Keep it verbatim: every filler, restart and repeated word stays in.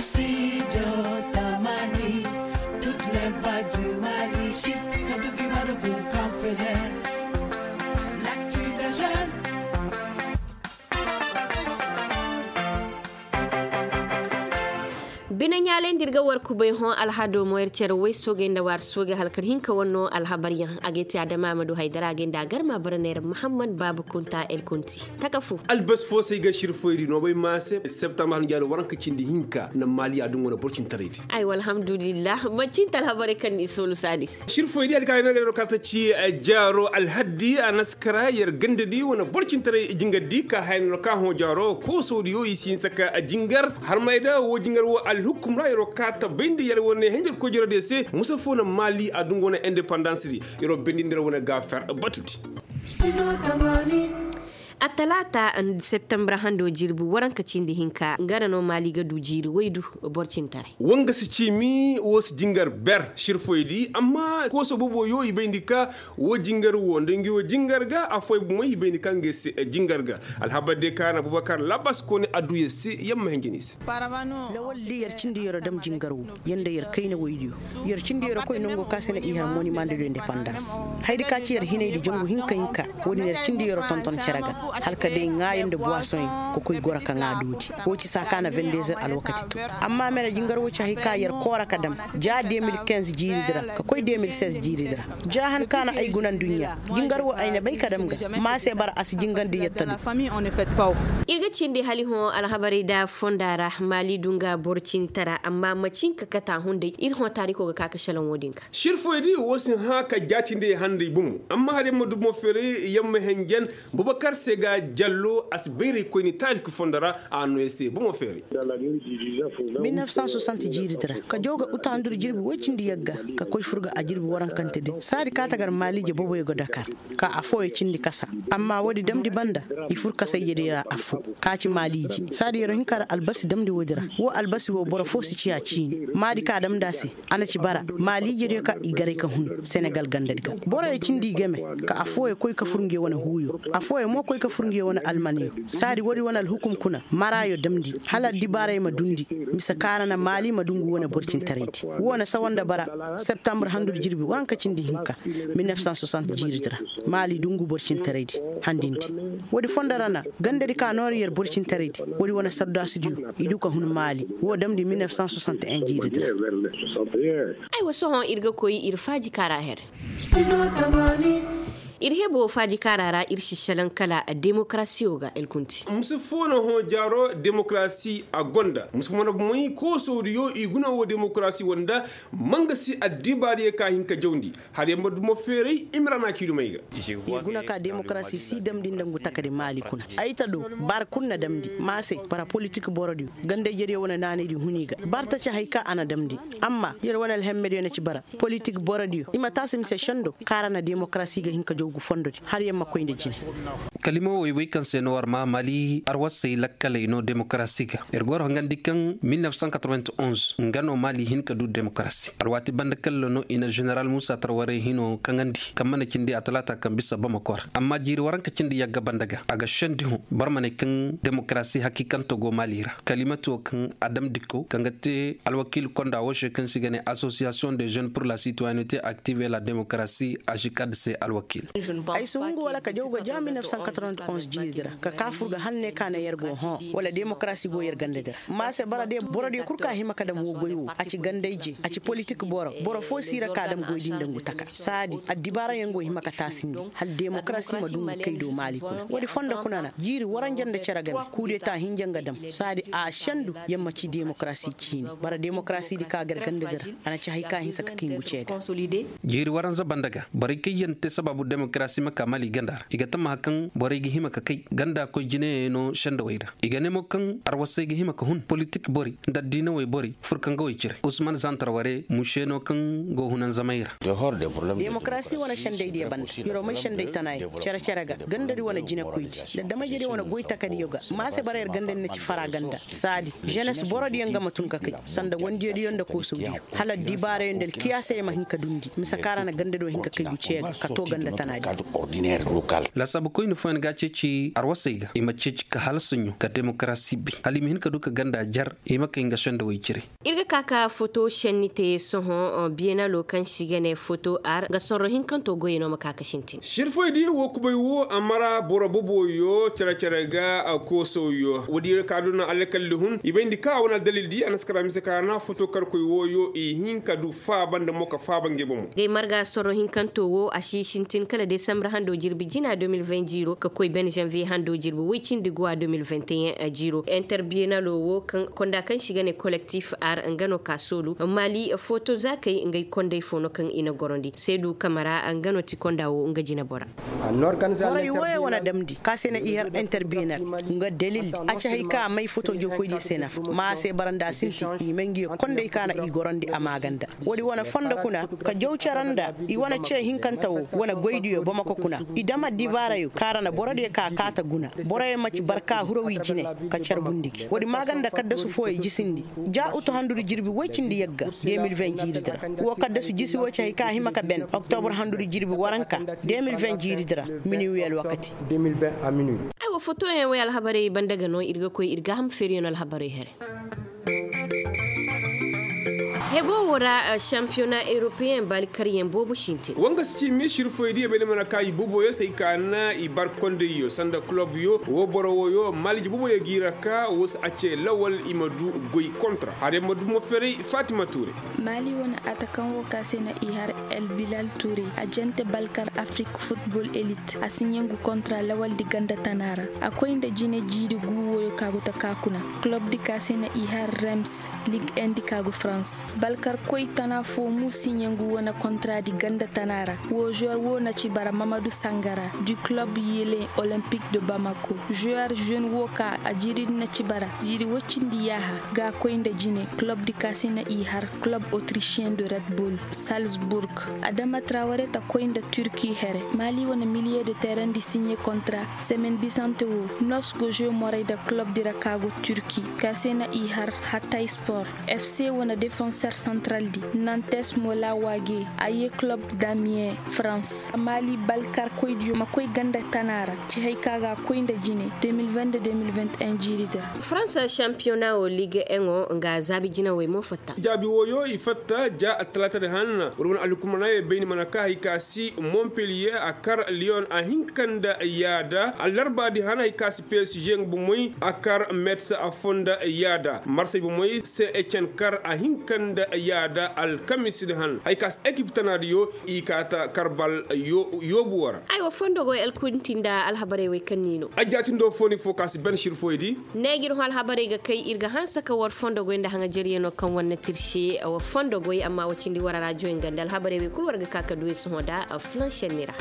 Studio Tamani, toutes les voix du Mali, Shifika Duki Maruku Kamfele, l'actu des jeunes. Bine ɲaalay nda ir ga war kubay hõ alhado mo ir cere way soogey nda waar soogey hala kar hinka wanno alhabaryaŋ a ga ay te adama ma du haydara a ga ay nda a garma bara neera muhammad baaba kunta el kunti. Taka fu. Albasi fo se ay ga sirfoyri no bay ma se septembar hanjaalo waranka cindi hinka na maali a duŋ wane borcintaraydi. Ay walhamdulillah manci nta alhabarey kaŋ ni soolu saadi. Sirfoydi hari kaŋ ay no ga ay no kaŋ ta ci jaaro alhaddi a na si kara yer gandadi wane borcintaray jingardi ka haya no kaŋ hõ jaaro koosodiyo i si hinsa ka jingar harmay da wo jingar wo alhukum ra yer wo ka ta bayndi yer wane henjer koy jero de se musa fo na maali a duŋ wane independance di. Yer wo bayndi nda yer wane ga fer batudi. Attalaata septembre hando jirbi waranka cindi hinka nga ra no maali ga du jiiri waydu. Borcintaray. Wanga si ciimi wo si jingar ber sirfoydi amma kooso boobo yo i bayndi ka wo jingar wo nda ngi wo jingar ga affooyaŋ bomo i bayndi ka nga si jingar ga. Alhabar de ka na bubakar labas kooni adduya se yamma henjeni se. Lawal di yer cindi yero dam jingar wo. Yer nda yer kayna woydiyo yer cindi yero koy nango ka se na i har monimandediyo independans. Haydi ka ci yer hinaydi jangu hinka hinka. Wo-din yer cindi yero tonton cere ga hala ka day ŋaayo nda buwasoŋyaŋ ka koy goro ka ŋaa doodi. Wo ci saa ka na vendezer alwakati to. Amma mere jingar wo ci hay ka yer koora ka dam ja de mil kinze jiiridi ra ka koy de mil seize jiiridi ra. Ja han ka na ay guna nduɲɲa jingar wo ay na bay ka dam ga. Ma se bara a si jingandi yer talu. Ir ga cindi hala i hõ alhabarey da fonda ra maali du nga boro cini tara amma macin ka kate a hunday ir hõ taariko ga ka ka šelaŋ wo-din ga. Sirfoydi wo si hã ka jaatindi ay handay bomo amma hala yamma du bomo feeray yamma henjen. Bubakar se ga jallo a si bayray koyni taariko fonda ra. A no ay se bomo feeray. Mil nef san soixante jiiridi ra ka jaw ga utandur jirbi woy cindi yagga ka koy fur ga a jirbi warankante din saadi ka tagar maaliije boboyo ga dakar. Ka affooyo cindi kasa amma woodi damndi banda i fur kasayjediyo ra affoo ka ci maaliije saadi yeroo hinka ra albasi damndi woodi ra. Wo albasi wo boro foo si ciya ciini maadi ka damndi a se. A na ci bara maaliijediyo ka i garay ka hun senegal gandadi ga boroyo cindi i game. Ka affooyo koy ka fur nguyo wane huuyo affooyo mo koy ka fur nguyo wane almanyo. Saadi woodi wane alhukum kuna maraayo damndi hala addibaarey ma dundi. Mise kaara na maali ma du ngu wane borcintaraydi. Wo na sawa nda bara septembre handudi jirbi waranka cindi hinka. Mil nef san soixante jiiridi ra maali du ngu borcintaraydi. Handindi woodi fondo ra na gandadi ka noori yer borcintaraydi. Woodi wane sardaasidiyo i du ka hun maali wo damndi mil nef san soixante en jiiridi ra. Aywa sohõ ir ga koy ir faaji kaara her. Ir hebo faaji kaara ra ir si šelaŋ kala demokarasiyo ga el kunti. Musa fo na hõ jaaro demokarasi a gonda musa fo na bomoy koosodiyo i guna wo demokarasi wanda. Manga si addibaariyo ka hin ka jawndi. Hala yamma dumo feeray imrana kiilumay ga. I guna ka demokarasi si damndi nda ngu takadi maali kuna. Ay ta do bara kul na damndi ma se bara politik borodiyo gandayjediyo wane naanaydi hun i ga bara ta ci hay ka a na damndi. Amma yer wane alhemmediyo na ci bara politik borodiyo i ma taasi mise sendo kaara na demokarasi ga hin ka jaw gu fondodi hala yer ma koy nda jine. Kalima woy woy kaŋ se no war ma mali arwasey lakkaley no demokarasi ga. Yer go war hongandi kaŋ mil nef san katrewen onze nga no mali hin ka du demokarasi alwaati banda kalla no i na ženeral musa tarwarey hino kaŋandi kaŋ mana cindi a talaata kaŋ bisa bamako ra amma jiiri waranka cindi yagga banda ga a ga sendi hõ boro ma ne kaŋ demokarasi hakiikanto go mali ra kalimati wo kaŋ a dam dikko kaŋ ga te alwakiil konda wo se kaŋ se i ga ne asosiyasiyoŋ de jeune pur la sitoyenete aktive e la demokarasi asikad se alwakiil. Ay si hungu wala ka jaw ga ja mil nef san katrewen onze jiiridi ra ka ka fur ga hala ne ka na yer go hõ wala demokarasi go yer gandadi ra. Ma se bara de borodiyo kul ka hima ka dam wo goy wo a ci gandayje a ci politik boro boro fo si ra ka dam goy din nda ngu taka saadi addibaarayaŋ go hima ka taasindi hala demokarasi ma du ngu kay do maali kuna woodi fondo kuna na jiiri waranja nda cere game kuudeta hinja nga dam saadi a sendu yer ma ci demokarasi ciini bara demokarasidi ka gar gandadi ra. A na ci hay ka hinsa ka kay ngu ce ga. Jiiri waranza banda ga borey kaŋ yaŋ te sabaabu demokarasi ma ka mali ganda ra i ga tammaha kaŋ borey ga hima ka kay ganda koy jinayaŋ no sendawey ra. I ga ne mo kaŋ arwasey ga hima ka hun politik borey nda addiinawey borey furkangawey cire usman zantar ware muse no kaŋ go hunanzamey ra. Demokarasi wane sendaydiyo banda yeroo may senday tanayaŋ cere-cere ga gandadi wane jinekoydi nda damajediyo wane goy takadiyo ga ma se bara yer gandadi na ci fara ganda saadi ženes borodiyo nga ma tun ka kay sanda wandiyodiyo nda koosodiyo hala addibaarayo nda alkiyaasayoo ma hin ka dundi mise kaŋ ra na gandado hin ka kay guciyo ga ka to ganda tana. Laasaabu koyne fooyaŋ ga a ceeci arwasey ga i ma ceeci ka hala saɲɲo ka demokarasi bay hala i ma hin ka du ka ganda jar i ma kay nga sendawey cire. Ir ga ka ka foto senni te sohõ, biyenalo kaŋ se i ga ne foto ar nga sorro hinkanto goyey no ma ka ka sintin. Sirfoy diya wo kubay wo a mara boro boboyo care care ga koosawyo woodi ir ga ka du no alkalli hun i bayndi kaŋ a wane aldalil di a na si kara mise kaana foto karkoy wooyo i hin ka du faaba nda mo ka faaba ngey bomo. Ngey marga sorro hinkanto wo a si sintin kala desambar hando jirbi jina deux mille vingt jiiro ka koy ben zanviye hando jirbi woy cindi guwa deux mille vingt et un jiiro. Interbiyennalo wo kaŋ konda kaŋ se i ga ne kolektif ar nga no ka soolu maali foto zaakey ngey kondey fo no kaŋ i na gorondi seedu kamara nga no ti konda wo nga jinebora. Borey wooyo wane damndi ka se na i har interbiyennal nga dalil a ci hay ka may foto jookoydiyo se nafa ma a se bara nda a sintin i may ngiyo kondey ka na i gorondi a maaganda. Woodi wane fondo kuna ka jaw care nda i wane ce hinkante wo wane goydiyo bamako kuna i dam addibaarayo kaŋ a ra na borodiyo ka kaata guna. Boroyo ma ci barka hurawi jine ka carbundi gi woodi maaganda kaddasu fooyo jisindi ja utu handudi jirbi woy cindi yagga deux mille vingt jiiridi ra. Wo kaddasu jisi wo ci hay ka hima ka ben oktobur handudi jirbi waranka deux mille vingt jiiridi ra. Minuwi alwakati. Aywa fotoyaŋ wey alhabarey banda ga no ir ga koy ir ga ham feeriyaŋ alhabarey here. Hebo wo ra, shampiyona europeyen baali karyaŋ boobo sintin. Wanga si ci misir foy diya bay ni mana ka i booboyo se ay ka na i bar kondayyo sanda kulobyo wo boro woyo maliji booboyo g'i ra ka wo si a ce lawal i ma du goy kontra hare ma du mo feray fatima ture. Mali wane atakaŋ wo ka se na i har el bilal ture a jante balkar afrik futbol elit a si ɲangu kontra lawal di ganda tana ra. A koy nda jine jiiri gu woyo ka go taka kuna. Kulob di ka se na i har rems lig en di ka go farans balkar koy tana fo mu si ɲangu wane kontra di ganda tana ra. Wo zuwer wo na ci bara mamadu sangara du kulob yele olempik de bamako zuwer zen wo ka a jiiri di na ci bara jiiri woy cindi yaaha ga koy nda jine kulob di ka se na i har kulob otrisiyen de red bull salzburg. Adama traware ta koy nda turki here mali wane miliye de teren di siɲe kontra semen bisante wo nos go zuwe moray nda kulob di ra ka go turki ka se na i har hatta sport. Fc wane defenser santral di nantes mo lawage a ye kulob damien farans mali balkar koydiyo ma koy ganda tana ra ci hay ka ga koy nda jine deux mille vingt deux deux mille vingt et un jiiri di ra. Farans shampiyona wo liga eŋo nga zaabi jinawey mo fatta. Jaabi woyo i fatta ja attalaata di han wala wane alhukumanayey bayni mana ka hay ka si mompeliye a kar liyon a hinka nda yaada allarba di han hay ka si psg nga bomoy a kar mets a fonda yaada marsey bomoy se ecen kar a hinka nda yaada alkamis di han hay ka si ekip tanaadiyo i kaata karbal yoobu wara. Ay wa fondo goy alkunti nda alhabarey wey kaŋ ni no. Ajjaatindo fo ni fo ka si ben sir foy di. Neeji ir hõ alhabarey ga kay ir ga hanse ka war fondo goy nda haŋajariyano kaŋ war na tirse war fondo goy amma wa cindi war a raajiyoy nga nda alhabarey wey kulu war ga ka ka du ay sohõ da flanšenni ra.